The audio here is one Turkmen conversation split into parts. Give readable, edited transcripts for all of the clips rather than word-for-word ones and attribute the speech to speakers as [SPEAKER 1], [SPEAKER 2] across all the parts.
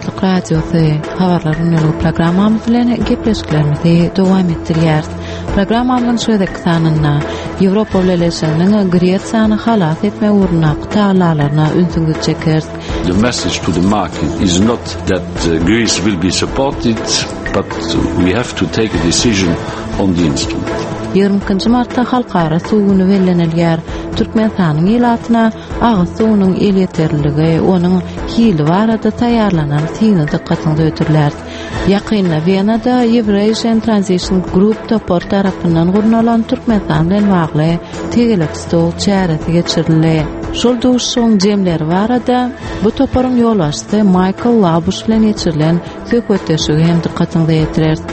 [SPEAKER 1] Azatlyk Radiosy, Habarlar gündeligi programmamyz bilen gepleşiklerimizi dowam etdirýäris. Programmamyzyň şu gezekki sanynda Ýewropa Bileleşiginiň Gresiýany halas etmek ugrundaky tagallalaryna ünsüňizi çekeris.
[SPEAKER 2] The message to the market is not that Greece will be supported, but we have to take a decision on the instrument.
[SPEAKER 1] 22-nji martda Halkara suw güni bellenilýär. Türkmenistanyň ilatyna agyz suwunyň elýeterliligi, onuň hili barada taýýarlanan syny dykgatyňyza hödürläris. Ýakynda Wenada Eurasian Transition Group topary tarapyndan gurnalan Türkmenistan bilen bagly tegelek stol çäresi geçirildi. Şol duşuşygyň jemleri barada bu toparyň ýolbaşçysy Maýkl Labuş bilen geçirilen söhbetdeşligi hem dykgatyňyza ýetireris.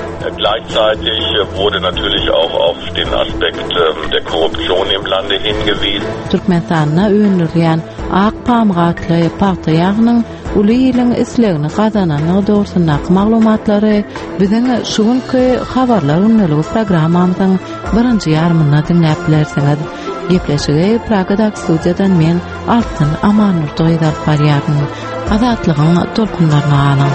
[SPEAKER 3] Gleichzeitig wurde natürlich auch auf den Aspekt der Korruption im Lande hingewiesen.
[SPEAKER 1] Türkmenistanda öndürilýän Ak pamyk atly pagta ýagynyň uly iliň islegini gazanandygy dogrusyndaky maglumatlary biziň şu günki Habarlar gündeligi programmamyzyň birinji ýarymynda diňläp bilersiňiz. Gepleşigi Pragadaky studiýadan men Altyn Amandurdy gyzy alyp barýaryn. Azatlygyň tolkunlaryna galyň.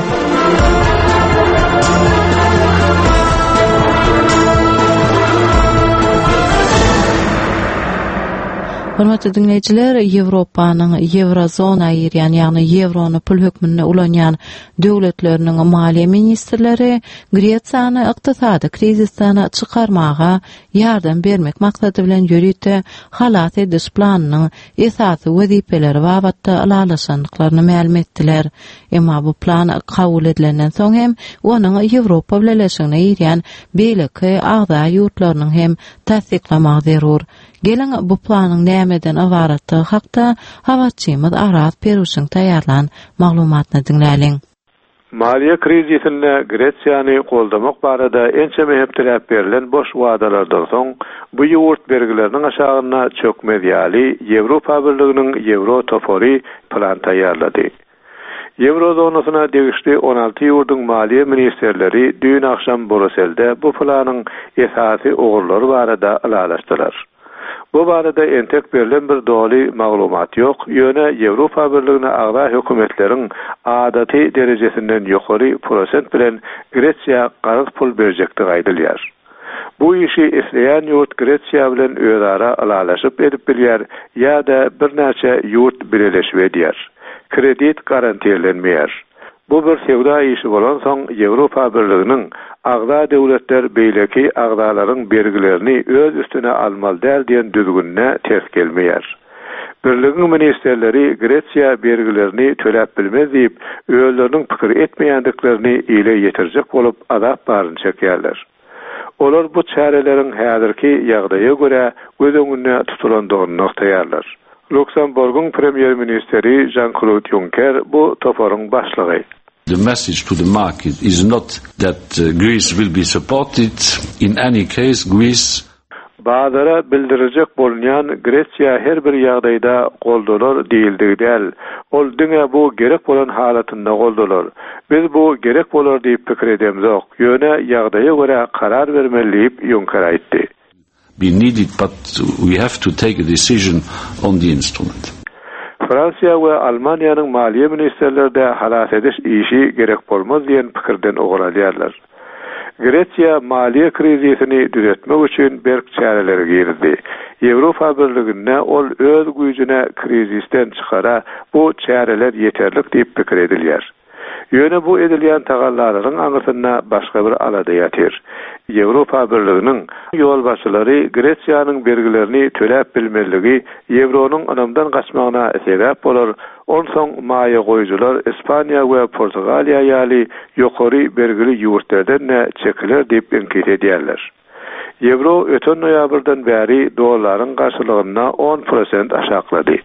[SPEAKER 1] Hormatly diňleýjiler, Ýewropanyň Ýewrozona girýän, ýagny ýewrony pul hökmünde ulanýan döwletleriniň maliýe ministrleri Gresiýany ykdysady krizisden çykarmaga ýardam bermek maksady bilen ýörite halas ediş planynyň esasy wezipeleri babatda ylalaşandyklaryny mälim etdiler. Emma bu plan kabul edilenden soň hem onuň Ýewropa Bileleşigine girýän beýleki agza ýurtlarynyň hem tassyklamagy zerur. Geliň, bu planyň nämeden ybaratdygy hakda habarçymyz Araz Peruşyň taýýarlan maglumatyny diňläliň.
[SPEAKER 4] Maliýe krizisinde Gresiýany goldamak barada ençeme hepdeläp berlen boş wadalardan soň, bu ýurt bergileriniň aşagynda çökmez ýaly Ýewropa Birliginiň Ýewro topary plan taýýarlady. Ýewro zonasyna degişli 16 ýurduň maliýe ministrleri düýn agşam Bruselde bu planyň esasy ugurlary barada ylalaşdylar. Bu barada entek berlen bir doly maglumat ýok, ýöne Ýewropa Birligine agza hökümetleriň adaty derejesinden ýokary prosent bilen Gresiýa karz pul berjekdigi aýdylýar. Bu işi isleýän ýurt Gresiýa bilen özara ylalaşyp edip bilýär ýa-da birnäçe ýurt bileleşip edýär. Kredit garantirlenmeýär. Bu bir söwda işi bolansoň Ýewropa Birliginiň agza döwletler beýleki agzalaryň bergilerini öz üstüne almaly däl diýen düzgünine ters gelmeýär. Birligiň ministrleri Gresiýa bergilerini töläp bilmez diýip, özleriniň pikir etmeýändiklerini ile ýetirjek bolup azap baryny çekýärler. Olar bu çäreleriň häzirki ýagdaýa görä göz öňünde tutulandygyny nygtaýarlar. Luksemburgyň premýer-ministri Žan-Klod Ýunker bu toparyň başlygy.
[SPEAKER 2] The message to the market is not that Greece will be supported, in any case Greece
[SPEAKER 4] Bazara bildiriljek bolunýan Gresiýa her bir ýagdaýda goldalar diýildigi däl. Ol diňe bu gerek bolan halatynda goldalar. Biz bu gerek bolar diýip pikir edemzok, ýöne ýagdaýa görä karar bermeli diýip, Ýunker aýtdy.
[SPEAKER 2] Be needed but we have to take a decision on the instrument.
[SPEAKER 4] Fransiýa we Almaniýanyň maliýe ministrleri-de halas ediş işi gerek bolmaz diýen pikirden ugur alýarlar. Gresiýa maliýe krizisini düzetmek üçin berk çäreleri girizdi. Ýewropa Birliginde ol öz güýjüne krizisden çykara bu çäreler ýeterlik diýip pikir edilýär. Ýöne bu edilýän tagallalaryň aňyrsynda başga bir alada ýatyr. Ýewropa Birliginiň ýolbaşçylary Gresiýanyň bergilerini töläp bilmezligi ýewronyň ynamdan gaçmagyna sebäp bolar, Onsoň maýa goýujylar Ispaniýa we Portugaliýa ýaly ýokary bergili ýurtlerden-de çekiler diýip iňkis edýärler. Ýewro öten noýabrdan bäri dollaryň garşylygynda on prosent aşaklady.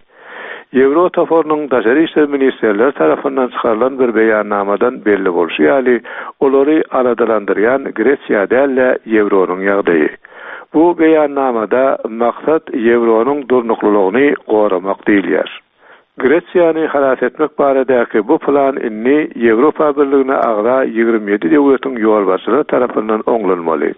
[SPEAKER 4] Ýewro toparynyň daşary işler ministrleri tarapyndan çykarylan bir beýannamadan belli bolşy ýaly, olary aladalandyrýan Gresiýa däl-de, ýewronyň ýagdaýy. Bu beýannamada maksat ýewronyň durnuklylygyny goramak diýilýär. Gresiýany halas etmek baradaky bu plan indi Ýewropa Birligine agza 27 döwletiň ýolbaşçylary tarapyndan oňlanmaly.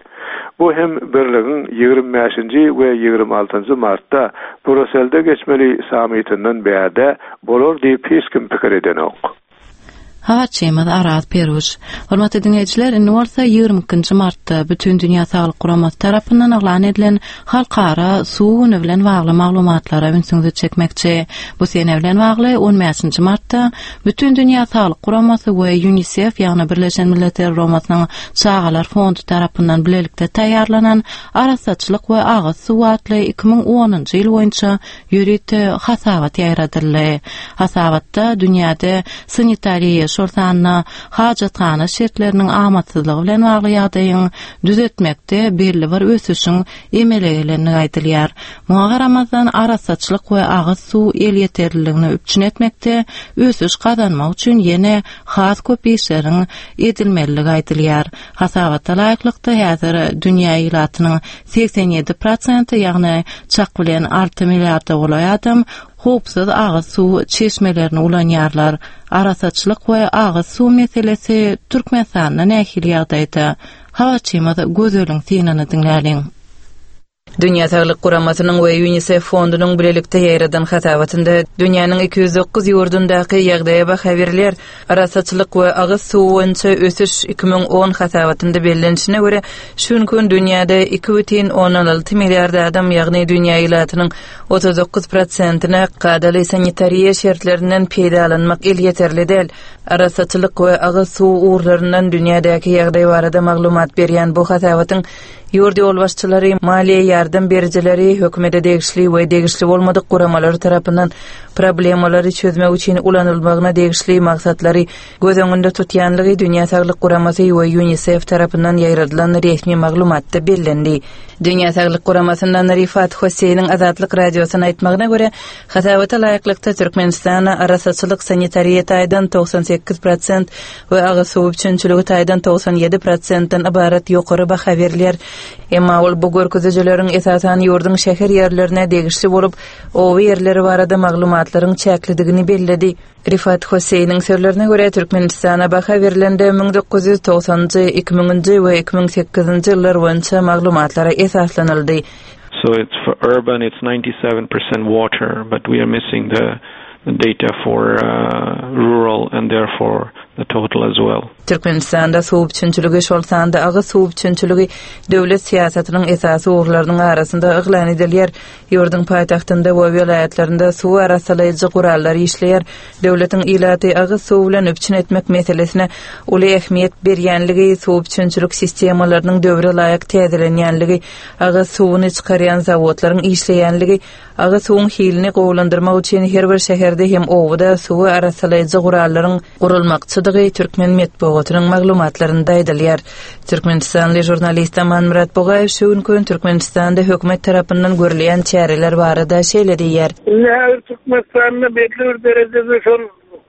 [SPEAKER 4] Bu hem Birligiň 25-nji we 26-njy martda Bruselde geçmeli sammitinden bärde bolar diýip hiç kim pikir edenok.
[SPEAKER 1] Habarçymyz Araz Peruş. Hormatly diňleýjiler, indi bolsa 22-nji martda Bütindünýä Saglyk Guramasy tarapyndan yglan edilen Halkara suw güni bilen bagly maglumatlara ünsüňizi çekmekçi. Bu sene bilen bagly on bäşinji martda Bütindünýä Saglyk Guramasy we Ýunisef, ýagny Birleşen Milletler Guramasynyň Çagalar fondy tarapyndan bilelikde taýýarlanan Arassaçylyk we agyz suwy atly 2010-njy ýyl boýunça ýörite hasabat ýaýradyldy. Hasabatda dünýäde sanitariýa, şol sanda hajathana şertleriniň amatsyzlygy bilen bagly ýagdaýyň düzetmekde belli bir ösüşiň emele gelendigi aýdylýar. Muňa garamazdan, arassaçylyk we agyz suw elýeterliligini üpjün etmekde ösüş gazanmak üçin ýene has köp işleriň edilmelidigi aýdylýar. Hasabata laýyklykda, häzir dünýä ilatynyň 87 prosenti, ýagny çak bilen alty milliarda golaý adam howpsuz agyz suw çeşmelerini ulanýarlar. Arassaçylyk we agyz suw meselesi Türkmenistanda nähili ýagdaýda? Habarçymyz Gözeliň synyny diňläliň.
[SPEAKER 5] Dünýä Saglyk Guramasynyň we Ýunisef fondunyň bilelikde ýaýradan hasabatynda dünýäniň 209 ýurdundaky ýagdaýa baha berilýär. Arassaçylyk we agyz suwy boýunça ösüş 2010 hasabatynda bellenişine görä, şu günki gün dünýäde 2,6 milliard adam, ýagny dünýä ilatynyň 39 prosentine kadaly sanitariýa şertlerinden peýdalanmak elýeterli däl. Arassaçylyk we agyz suwy ugurlaryndan dünýädäki ýagdaý barada maglumat berýän bu hasabatyň Ýurt ýolbaşçylary, maliýe ýardam berijileri, hökümete degişli we degişli bolmadyk guramalary tarapyndan problemalary çözmek üçin ulanylmagyna degişli maksatlary göz öňünde tutýanlygy Dünýä Saglyk Guramasy we Ýunisef tarapyndan ýaýradylan resmi maglumatda bellendi. Dünýä Saglyk Guramasyndan Rifat Hosseýniň Azatlyk Radiosyna aýtmagyna görä, hasabata laýyklykda Türkmenistana arassaçylyk-sanitariýa taýdan 98 prosent we agyz suw üpjünçiligi taýdan 97 prosentden ybarat ýokary baha berilýär. Emma ol bu görkezijileriň esasan ýurduň şäher ýerlerine degişli bolup, oba ýerleri barada maglumatlaryň çäklidigini belledi. Rifat Hosseýniň sözlerine görä, Türkmenistana baha berlende 1990-njy, 2000-nji we 2008-nji ýyllar boýunça maglumatlara esaslanyldy.
[SPEAKER 6] So it's for urban it's 97% water, but we are missing the data for rural and therefore the total as well.
[SPEAKER 5] Türkmenistanda suw üpjünçiligi, şol sanda agyz suw üpjünçiligi döwlet syýasatynyň esasy ugurlarynyň arasynda yglan edilýär. Ýurduň paýtagtynda we welaýatlarynda suw arassalaýjy gurallar işleýär. Döwletiň ilaty agyz suwy bilen üpjün etmek meselesine uly ähmiýet berýänligi, suw üpjünçilik sistemalarynyň döwre laýyk täzelenýänligi, agyz suwuny çykarýan zawodlaryň işleýänligi, agyz suwuň hilini gowulandyrmak üçin her bir şäherde hem obada suwy arassalaýjy gurallaryň gurulmakçydygy türkmen metbugatynyň maglumatlarynda aýdylýar. Türkmenistanly žurnalist Amanmyrat Bugaýew şu günki gün Türkmenistanda hökümet tarapyndan görülýän çäreler barada şeýle diýýär.
[SPEAKER 7] Indi häzir Türkmenistanda belli bir derejede şol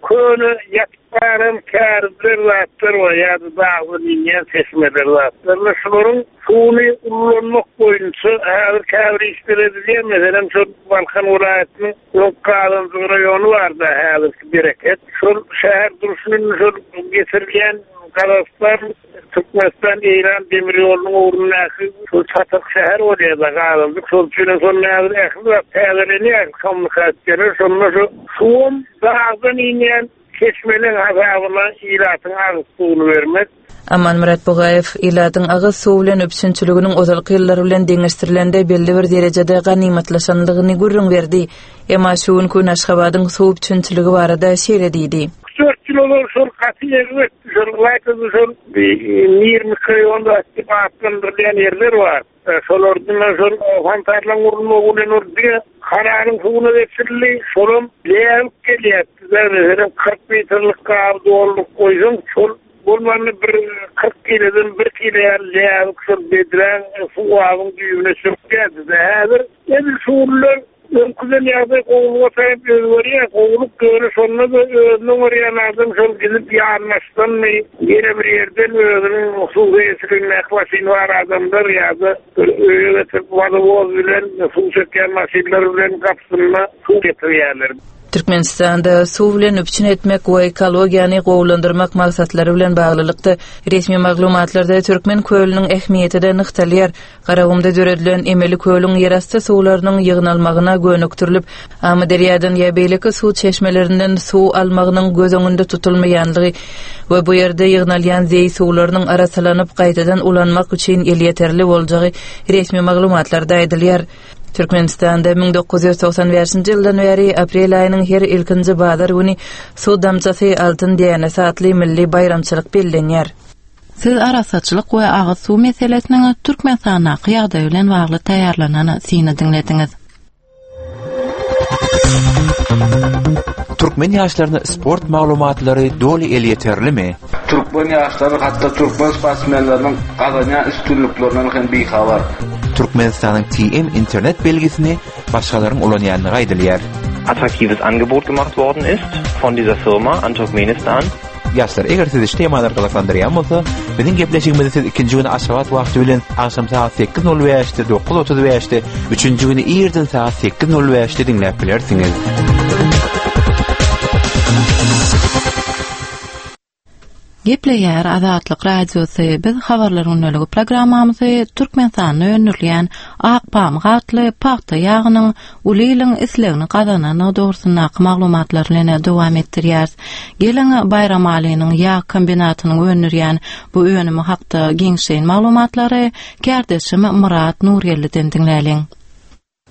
[SPEAKER 7] köne ýatyp galan kärizler zatlar bar ýa-da dagdan inýän çeşmeler zatlar bar. Şularyň suwuny ullanmak boýunça häzir käbir işler edilýär. Meselem, şol Balkan welaýatynyň Öň Gazanjyk raýony bardy, häzirki Bereket. Şol şäher durşuny indi şol geçirilýän Gazagystan, Türkmenistan, Eýran demir ýolunyň ugrundaky şol çatyk şäher bolýar-da Gazanjyk. Şol üçin hem şonda häzir ähli zat täzelenýär, kommunikasiýalar. Şonda şu suwam dagdan inýän Çeşmeleň hasabyna ilatyň agyz suwuny bermek.
[SPEAKER 5] Amanmyrat Bugaýew ilatyň agyz suwy bilen üpjünçiliginiň ozalky ýyllar bilen deňeşdirilende belli bir derejede ganymatlaşandygyny gürrüň berdi. Emma şu günki gün Aşgabadyň suw üpjünçiligi barada şeýle diýdi.
[SPEAKER 7] Üç-dört ýyl ozal şol gaty erbetdi, şol ylaýta-da şol Mir mikroraýon diýip atlandyrylýan ýerler bar. Şolardan şol fontanlaryň gurulmagy bilen ol diňe kanalyň suwuna geçirildi. Şolam läbik gelýär. Meselem, 40 litrlik gaby dolduryp goýsaň, şol bolmanda bir 40 kileden bir kile ýaly läbik şol bedräň suw gabyň düýbüne çökýärdi. Häzir edil şu günler Öňküden ýagdaý gowulyga tarap özgerýär, gowulyk ýöne şonda-da özüni oňarýan adam şol gidip ýanbaşdanmy, ýene bir ýerden özüniň hususy eýeçiligindäki maşyny bar adamlar ýa-da bir öýe getirip wodowoz bilen suw çekýän maşynlar bilen gapysynda suw getirýärler.
[SPEAKER 5] Türkmenistanda suw bilen üpjün etmek we ekologiýany gowulandyrmak maksatlary bilen baglylykda, resmi maglumatlarda Türkmen kölüniň ähmiýeti-de nygtalýar. Garagumda döredilen emeli kölüň ýerasty suwlarynyň ýygnalmagyna gönükdirilip, Amyderýadan ýa beýleki suw çeşmelerinden suw almagynyň göz öňünde tutulmaýanlygy we bu ýerde ýygnalýan zeý suwlarynyň arassalanyp gaýtadan ulanmak üçin elýeterli boljagy resmi maglumatlarda aýdylýar. Türkmenistanda 1995-nji ýyldan bäri aprel aýynyň her ilkinji bazar güni Suw damjasy, altyn dänesi atly milli baýramçylyk bellenýär.
[SPEAKER 1] Siz arassaçylyk we agyz suw meselesiniň Türkmenistandaky ýagdaýy bilen bagly taýýarlanan syny diňlediňiz.
[SPEAKER 8] Türkmen ýaşlaryna sport maglumatlary doly elýeterlimi?
[SPEAKER 9] Türkmen ýaşlary hatda türkmen sportsmenleriniň gazanýan üstünliklerinden hem bihabar.
[SPEAKER 8] Türkmenistanyň TM internet belgisini başgalaryň ulanýandygy aýdylýar.
[SPEAKER 10] Attraktives Angebot gemacht worden ist von dieser Firma an Turkmenistan.
[SPEAKER 8] Ýaşlar, eger sizi şu temalar gyzyklandyrýan bolsa, biziň gepleşigimizi siz ikinji güni Aşgabat wagty bilen agşam sagat 8:05-de, 9:35-de, üçünji güni irden sagat 8:05-de diňläp bilersiňiz.
[SPEAKER 1] Gepleýär Azatlyk Radiosy, biz Habarlar gündeligi programmamyzy Türkmenistanda öndürilýän Ak pamyk atly pagta ýagynyň uly iliň islegini gazanandygy dogrusyndaky maglumatlar bilen dowam etdirýäris. Geliň, Baýramalynyň ýag kombinatynyň öndürýän bu önümi hakda giňişleýin maglumatlary kärdeşim Myrat Nurgeldiden diňläliň.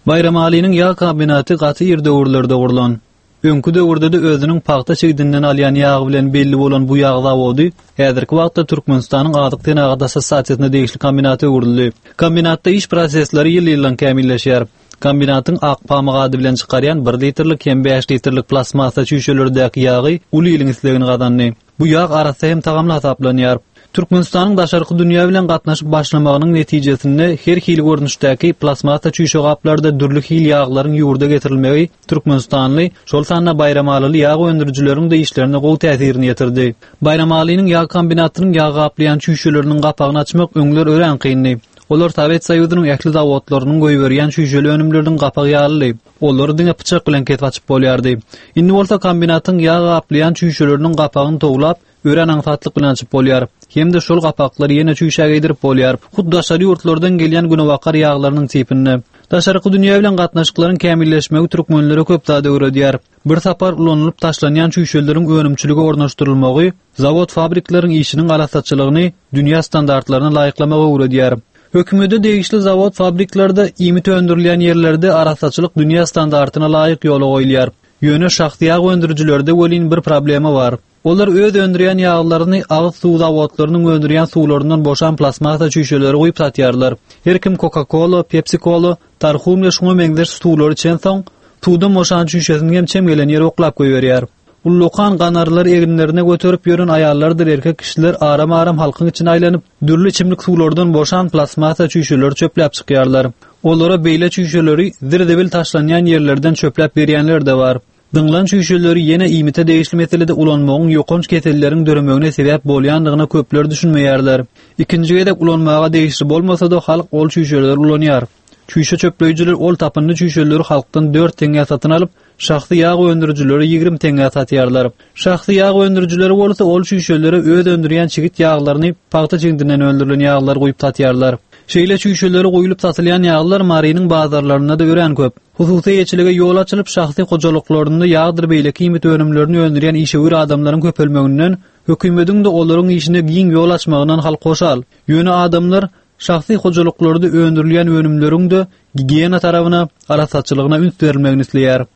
[SPEAKER 11] Baýramalynyň ýag kombinaty gaty ir döwürlerde gurlan. Öňki döwürde-de özüniň pagta çigdinden alýan ýagy bilen belli bolan bu ýag zawody häzirki wagtda Türkmenistanyň Azyk senagat assosiasiýasyna degişli kombinata öwrüldi. Kombinatda iş prosesleri ýyl-ýyldan kämilleşýär. Kombinatyň Ak pamyk ady bilen çykarýan bir litrlik hem bäş litrlik plastmassa çüýşelerdäki ýagy uly iliň islegini gazandy. Bu ýag arassa hem tagamly hasaplanýar. Türkmenistanyň daşarky dünýä bilen gatnaşyp başlamagynyň netijesinde her hili görnüşdäki plastmassa çüýşe gaplarda dürli hil ýaglaryň ýurda getirilmegi türkmenistanly, şol sanda baýramalyly ýag öndürijileriň-de işlerine gowy täsirini ýetirdi. Baýramalynyň ýag kombinatynyň ýag gaplaýan çüýşeleriniň gapagyny açmak öňler örän kyndy. Olar Sowet Soýuzynyň ähli zawodlarynyň goýberýän çüýşeli önümleriniň gapagy ýalydy. Olary diňe pyçak bilen kesip açyp bolýardy. Indi bolsa kombinatyň ýag gaplaýan çüýşeleriniň gapagyny towlap, örän aňsatlyk bilen açyp bolýar. Hem-de şol gapaklary ýene çüýşä geýdirip bolýar. Hut daşary ýurtlardan gelýän günebakar ýaglarynyň tipinde. Daşarky dünýä bilen gatnaşyklaryň kämilleşmegi türkmenlere köp zat öwredýär. Bir sapar ulanylyp taşlanýan çüýşeleriň önümçilige ornaşdyrylmagy zawod-fabrikleriň işiniň arassaçylygyny dünýä standartlaryna laýyklamagy öwredýär. Hökümete degişli zawod-fabriklerde iýmit öndürilýän ýerlerde arassaçylyk dünýä standartyna laýyk ýola goýulýar. Ýöne şahsy ýag öndürijilerde welin bir problema bar. Olar öz öndürýän ýaglaryny agyz suw zawodlarynyň öndürýän suwlaryndan boşan plastmassa çüýşelere guýup satýarlar. Her kim Coca-Cola, Pepsi-Cola, Tarhun we şuňa meňzeş suwlary içensoň, suwdan boşan çüýşesini hem çem gelen ýere oklap goýberýär. Ullakan ganarlary eginlerine göterip ýören aýallardyr erkek kişiler aram-aram halkyň içine aýlanyp, dürli içimlik suwlardan boşan plastmassa çüýşeleri çöpläp çykýarlar. Olara beýle çüýşeleri zir-zibil taşlanýan ýerlerden çöpläp berýänler-de bar. Zyňlan çüýşeleri ýene iýmite degişli meselede ulanmagyň ýokanç keselleriň döremegine sebäp bolýandygyna köpler düşünmeýärler. Ikinji gezek ulanmaga degişli bolmasa-da halk ol çüýşeleri ulanýar. Çüýşe çöpleýjiler ol tapyndy çüýşeleri halkdan dört teňňä satyn alyp, şahsy ýag öndürijilere 20 teňňä satýarlar. Şahsy ýag öndürijileri bolsa ol çüýşelere öz öndürýän çigit ýaglaryny, pagta çigidinden öndürilen ýaglary guýup satýarlar. Şeýle çüýşelere guýlup satylýan ýaglar Marynyň bazarlarynda-da örän köp. Hususy eýeçilige ýol açylyp, şahsy hojalyklarynda ýagdyr beýleki iýmit önümlerini öndürýän işewür adamlaryň köpelmeginden, hökümediň-de olaryň işine giň ýol açmagyndan halk hoşal. Ýöne adamlar şahsy hojalyklarda öndürilýän önümleriň-de gigiýena tarabyna, arassaçylygyna üns berilmegini isleýär.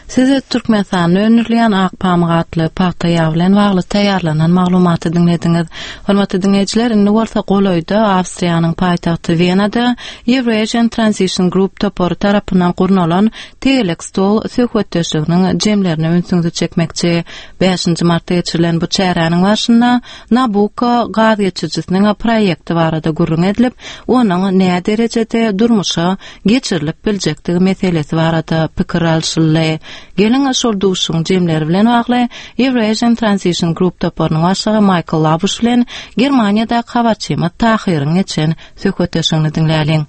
[SPEAKER 1] Siz Türkmenistanda öndürilýän Ak pamyk atly pagta ýagy bilen bagly taýýarlanan maglumaty diňlediňiz. Hormatly diňleýjiler, indi bolsa golaýda Awstriýanyň paýtagty Wenada Eurasian Transition Group topary tarapyndan gurnalan tegelek stol söhbetdeşliginiň jemlerine ünsüňizi çekmekçi. Bäşinji martda geçirilen bu çäräniň barşynda Nabucco gaz geçirijisiniň proýekti barada gürrüň edilip, onuň näderejede durmuşa geçirilip biljekdigi meselesi barada pikir alşyldy. Geliň, şol duşuşygyň jemleri bilen bagly Eurasian Transition Group toparynyň başlygy Maýkl Labuş bilen Germaniýadaky habarçymyz Tahyryň geçen söhbetdeşligini diňläliň.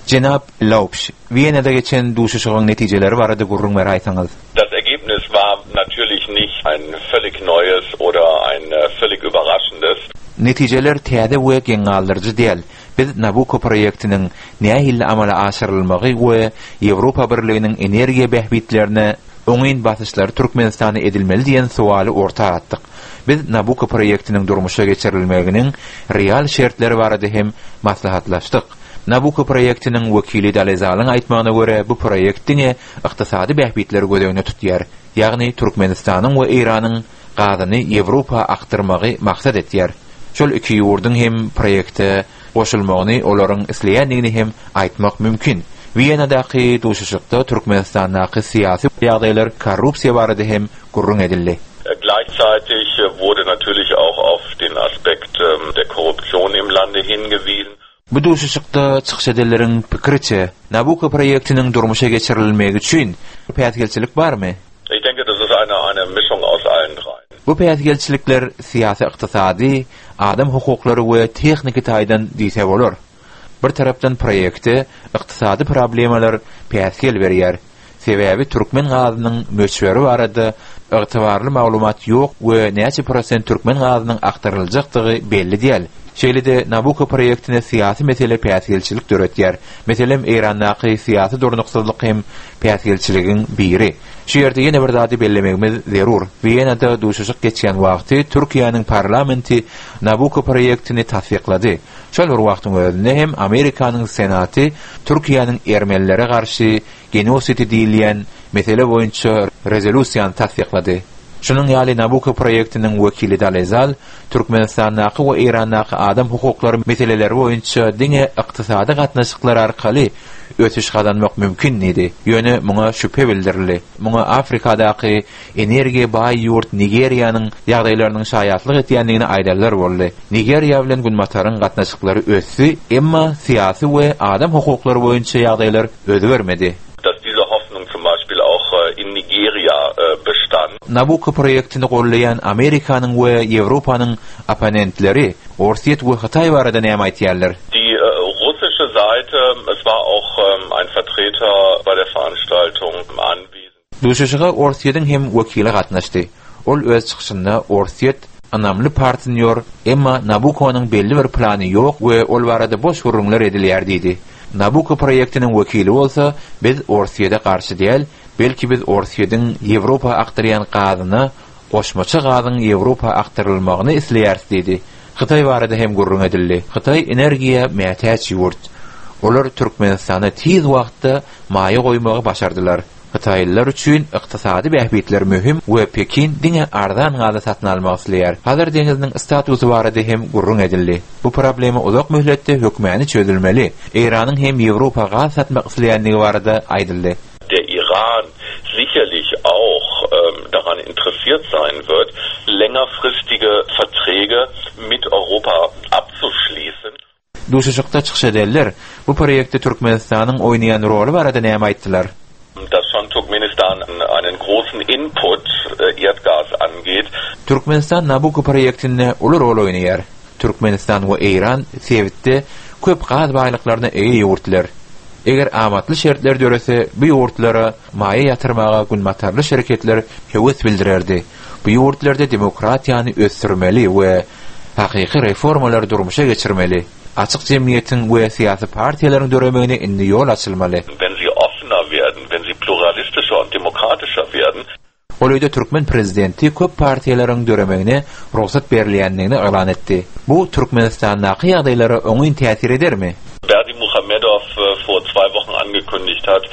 [SPEAKER 8] Jenap Laubsch, Wenada geçen duşuşygyň netijeleri barada gürrüň beräýseňiz.
[SPEAKER 3] Das Ergebnis war natürlich nicht ein völlig neues oder ein völlig überraschendes.
[SPEAKER 8] Netijeler täze we geň galdyryjy däl. Biz Nabucco proýektiniň nähili amala aşyrylmagy we Ýewropa Birliginiň energiýa bähbitlerine oňyn basyşlary Türkmenistana edilmeli diýen sowaly orta atdyk. Biz Nabucco proýektiniň durmuşa geçirilmeginiň real şertleri barada hem maslahatlaşdyk. Nabucco proýektiniň wekili Dalezalyň aýtmagyna görä, bu proýekt diňe ykdysady bähbitleri göz öňünde tutýar, ýagny Türkmenistanyň we Eýranyň gazyny Ýewropa akdyrmagy maksat etýär. Şol iki ýurduň hem proýekte goşulmagyny olaryň isleýändigini hem aýtmak mümkin. Wiýenadaky duşuşykda Türkmenistandaky syýasy ýagdaýlar, korrupsiýa barada hem gürrüň edildi.
[SPEAKER 3] Gleichzeitig wurde natürlich auch auf den Aspekt der Korruption im Lande hingewiesen.
[SPEAKER 8] Bu duşuşykda çykyş edenleriň pikiriçe, Nabucco proýektiniň durmuşa geçirilmegi üçin päsgelçilik barmy?
[SPEAKER 3] Ich denke, das ist eine eine Mischung aus allen dreien.
[SPEAKER 8] Bu päsgelçilikler syýasy-ykdysady, adam hukuklary we tehniki taýdan diýse bolar. Bir tarapdan proýekte ykdysady problemalar päsgel berýär. Sebäbi türkmen gazynyň möçberi barada ygtybarly maglumat ýok we näçe prosent türkmen gazynyň akdyryljakdygy belli däl. Şeýle-de Nabucco proýektine syýasy mesele päsgelçilik döretýär. Meselem, Eýrandaky syýasy durnuksyzlyk hem päsgelçiligiň biri. Şu ýerde ýene bir zady bellemegimiz zerur. Wenada duşuşyk geçýän wagty Türkiýäniň parlamenti Nabucco proýektini tassyklady. Şol bir wagtyň özünde hem Amerikanyň Senaty Türkiýäniň ermenilere garşy genosidi diýilýän mesele boýunça rezolýusiýany tassyklady. Şunuň ýaly Nabucco proýektiniň wekili Dalezal Türkmenistandaky we Eýrandaky adam hukuklary meseleleri boýunça diňe ykdysady gatnaşyklar arkaly ösüş gazanmak mümkin diýdi. Ýöne muňa şübhe bildirildi. Muňa Afrikadaky energiýa baý ýurt Nigeriýanyň ýagdaýlarynyň şaýatlyk etýändigini aýdanlar boldy. Nigeriýa bilen Günbataryň gatnaşyklary ösdi, emma syýasy we adam hukuklary boýunça ýagdaýlar özgermedi.
[SPEAKER 3] Dass diese Hoffnung zum Beispiel auch in Nigeria bestand.
[SPEAKER 8] Nabucco proýektini goldaýan Amerikanyň we Ýewropanyň opponentleri Orsýet we Hytaý barada näme aýtýarlar?
[SPEAKER 3] Die russische Seite, es war auch ein Vertreter bei der Veranstaltung anwesend.
[SPEAKER 8] Duşuşyga Orsýetiň hem wekili gatnaşdy. Ol öz çykyşynda Orsýet ynamly partnýor, emma Nabukonyň belli bir plany ýok we ol barada boş gürrüňler edilýär diýdi. Nabuko proýektiniň wekili bolsa, Biz Orsýede garşy däl, belki biz Orsýediň Ýewropa akdyrýan gazyna goşmaça gazyň Ýewropa akdyrylmagyny isleýäris diýdi. Hytaý barada hem gürrüň edildi. Hytaý energiýa mätäç ýurt. Olar Türkmenistana tiz wagtda maýa goýmagy başardylar. Hytaýlylar üçin ykdysady bähbitler möhüm we Pekin diňe arzan gazy satyn almak isleýär. Hazar deňziniň statusy barada hem gürrüň edildi. Bu problema uzak möhletde hökmäny çözülmeli. Eýranyň hem Ýewropa gaz satmak isleýändigi barada aýdyldy.
[SPEAKER 3] Der Iran sicherlich auch daran interessiert sein wird, längerfristige Verträge mit Europa abzuschließen.
[SPEAKER 8] Duşuşykda çykyş edenler bu proýektde Türkmenistanyň oýnaýan roly barada näme aýtdylar?
[SPEAKER 3] Dass schon Turkmenistan einen großen Input Erdgas angeht.
[SPEAKER 8] Türkmenistan Nabucco proýektinde uly rol oýnaýar. Türkmenistan we Eýran sebitde köp gaz baýlyklaryna eýe ýurtlar. Eger amatly şertler dörese, bu ýurtlara maýa ýatyrmaga günbatarly şereketler höwes bildirerdi. Bu ýurtlarda demokratiýany ösdürmeli we hakyky reformalary durmuşa geçirmeli. Açyk jemgyýetiň we syýasy partiýalaryň döremegine indi ýol açylmaly.
[SPEAKER 3] Wenn sie offener werden, wenn sie pluralistischer und demokratischer werden.
[SPEAKER 8] Golaýda türkmen prezidenti köp partiýalaryň döremegine rugsat berilýändigini yglan etdi. Bu Türkmenistandaky ýagdaýlara oňyn täsir edermi?
[SPEAKER 3] Berdimuhamedow vor zwei Wochen angekündigt hat,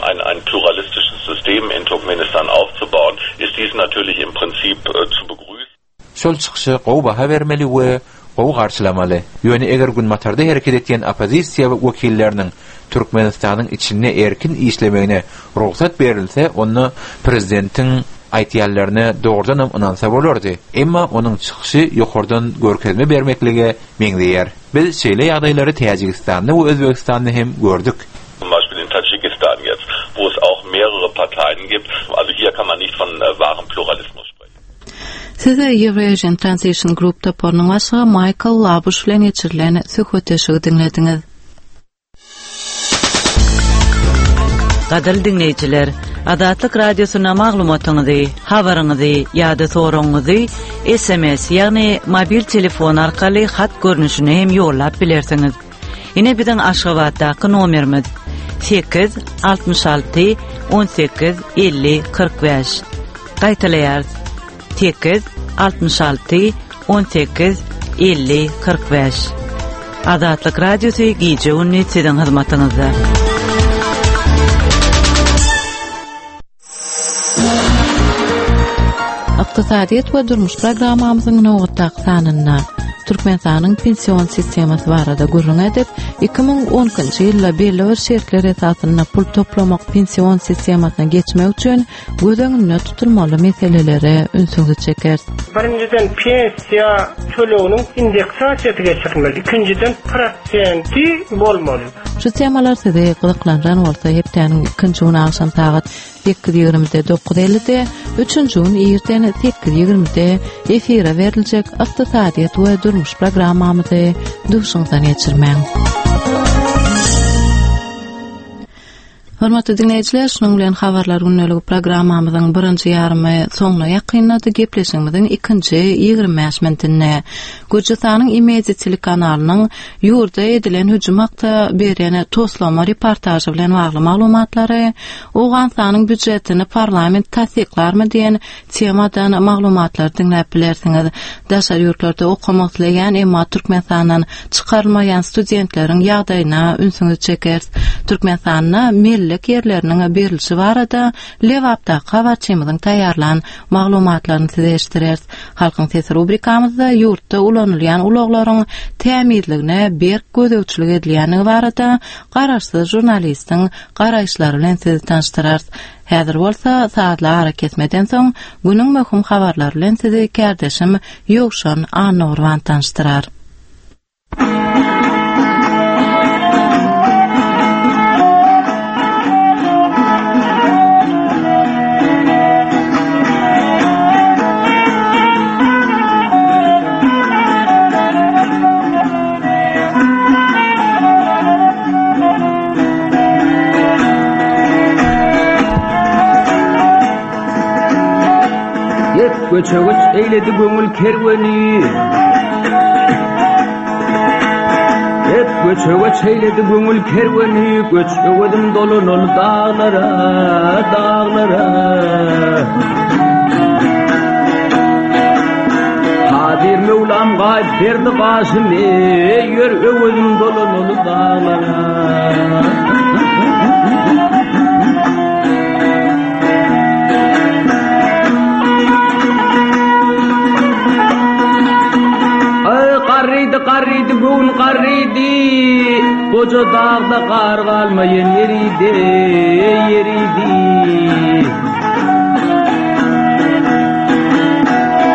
[SPEAKER 3] ein ein pluralistisches System in Turkmenistan aufzubauen, ist dies natürlich im Prinzip zu begrüßen.
[SPEAKER 8] Şol çykyşa gowy baha bermeli we gowy garşylamaly. Ýöne eger Günbatarda hereket etýän oppozisiýa wekilleriniň Türkmenistanyň içinde erkin işlemegine rugsat berilse, onda prezidentiň aýtýanlaryna dogrudanam ynansa bolardy. Emma onuň çykyşy ýokardan görkezme bermeklige meňzeýär. Biz şeýle ýagdaýlary Täjigistanda we Özbegistanda hem gördük.
[SPEAKER 3] Zum Beispiel in Tadschikistan jetzt, wo es auch mehrere Parteien gibt. Also hier kann man nicht von wahrem Pluralismus sprechen.
[SPEAKER 1] Siz Eurasian Transition Group toparynyň başlygy Maýkl Labuş bilen geçirilen söhbetdeşligi diňlediňiz.
[SPEAKER 12] Gadyrly diňleýjiler, Azatlyk Radiosyna maglumatyňyzy, habaryňyzy ýa-da soragyňyzy SMS, ýagny mobil telefon arkaly hat görnüşinde hem ýollap bilersiňiz. Ine biziň Aşgabatdaky nomerimiz 8 66 18 50 45. Gaýtalaýarys. 8 66 18 50 45. Azatlyk Radiosy gije-gündiz siziň hyzmatyňyzda.
[SPEAKER 1] Ykdysadyýet we durmuş programmamyzyň nobatdaky sanynda Türkmenistanyň pension sistemasy barada gürrüň edip, 2012-nji ýylda belli bir şertler esasynda pul toplamak pension sistemasyna geçmek üçin göz öňünde tutulmaly meselelere ünsüňizi çekeris.
[SPEAKER 7] Birinjiden, pensiýa töleginiň indeksasiýasy geçirilmeli, ikinjiden, prosenti bolmaly.
[SPEAKER 1] Şu temalar sizi gyzyklandyran bolsa, hepdäniň ikinji güni agşam sagat sekiz ýigrimide, dokuz ellide, üçünji gün irden sekiz ýigrimide efire beriljek Ykdysadyýet we durmuş programmamyzy duşuňyzdan geçirmäň. Hormatly diňleýjiler, şunuň bilen Habarlar gündeligi programmamyzyň birinji ýarymy soňuna ýakynlady. Gepleşigimiziň ikinji 25 minutynda Gürjüstanyň Imedi telekanalynyň ýurda edilen hüjüm hakda beren toslama reportažy bilen bagly maglumatlary, Owganystanyň býujetini parlament tassyklarmy diýen temadan maglumatlary diňläp bilersiňiz. Daşary ýurtlarda okamak isleýän, emma Türkmenistandan çykarylmaýan studentleriň ýagdaýyna ünsüňizi çekeris. Türkmenistanda mellek ýerleriniň berlişi barada Lebapdaky habarçymyzyň taýýarlan maglumatlaryny size eşitdireris. Halkyň sesi rubrikamyzda ýurtda ulanylýan ulaglaryň tämizligine berk gözegçilik edilýändigi barada garaşsyz žurnalistiň garaýyşlary bilen sizi tanyşdyrarys. Häzir bolsa sazly arakesmeden soň günüň möhüm habarlary bilen sizi kärdeşim Ýowşan Annagurban tanyşdyrar.
[SPEAKER 13] Hep göçe-göç eýledi göňül kerweni. Hep göçe-göç eýledi göňül kerweni, Göç öwezim dolanol daglara, daglara. Kadyr Möwlam gaýyp berdi gaşymy, Ýör öwezim dolanol daglara. Aý, garrydy, garrydy, göwün garrydy, Goja dagda gar galmaýan ýeridi, ýeridi.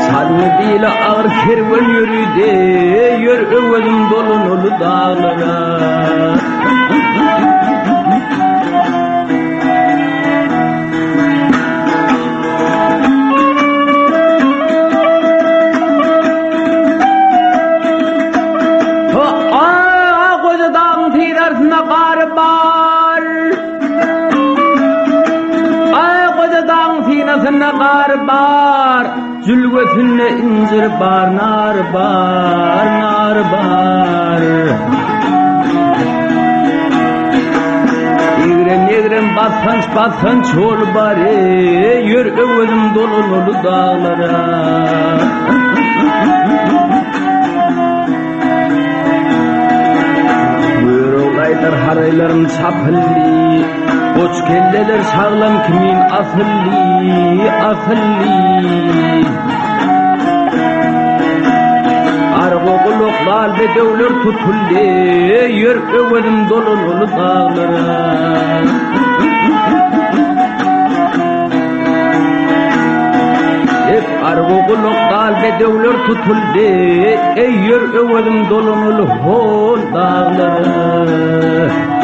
[SPEAKER 13] Çalmy bile agyr kerwen ýöridi, Ýör öwezim dolanaly daglara. Goja dagyň syrarsynda gar bar. Aý, goja dagyň synasynda gar bar. Jülgesinde injir bar, nar bar, nar bar. Egrem-egrem basganç-basganç ýol bar, Ýör öwezim dolanaly daglara. Göroglaýlar haraýlarym çapyldy, Goç kelleler şaglam kimin asyldy, asyldy. Argo gulak lal bedewler tutuldy, Ýör öwezim dolanaly daglara. Hep argo gulak dal bedewler tutuldy, Eý, ýör öwezim dolanaly hol daglara.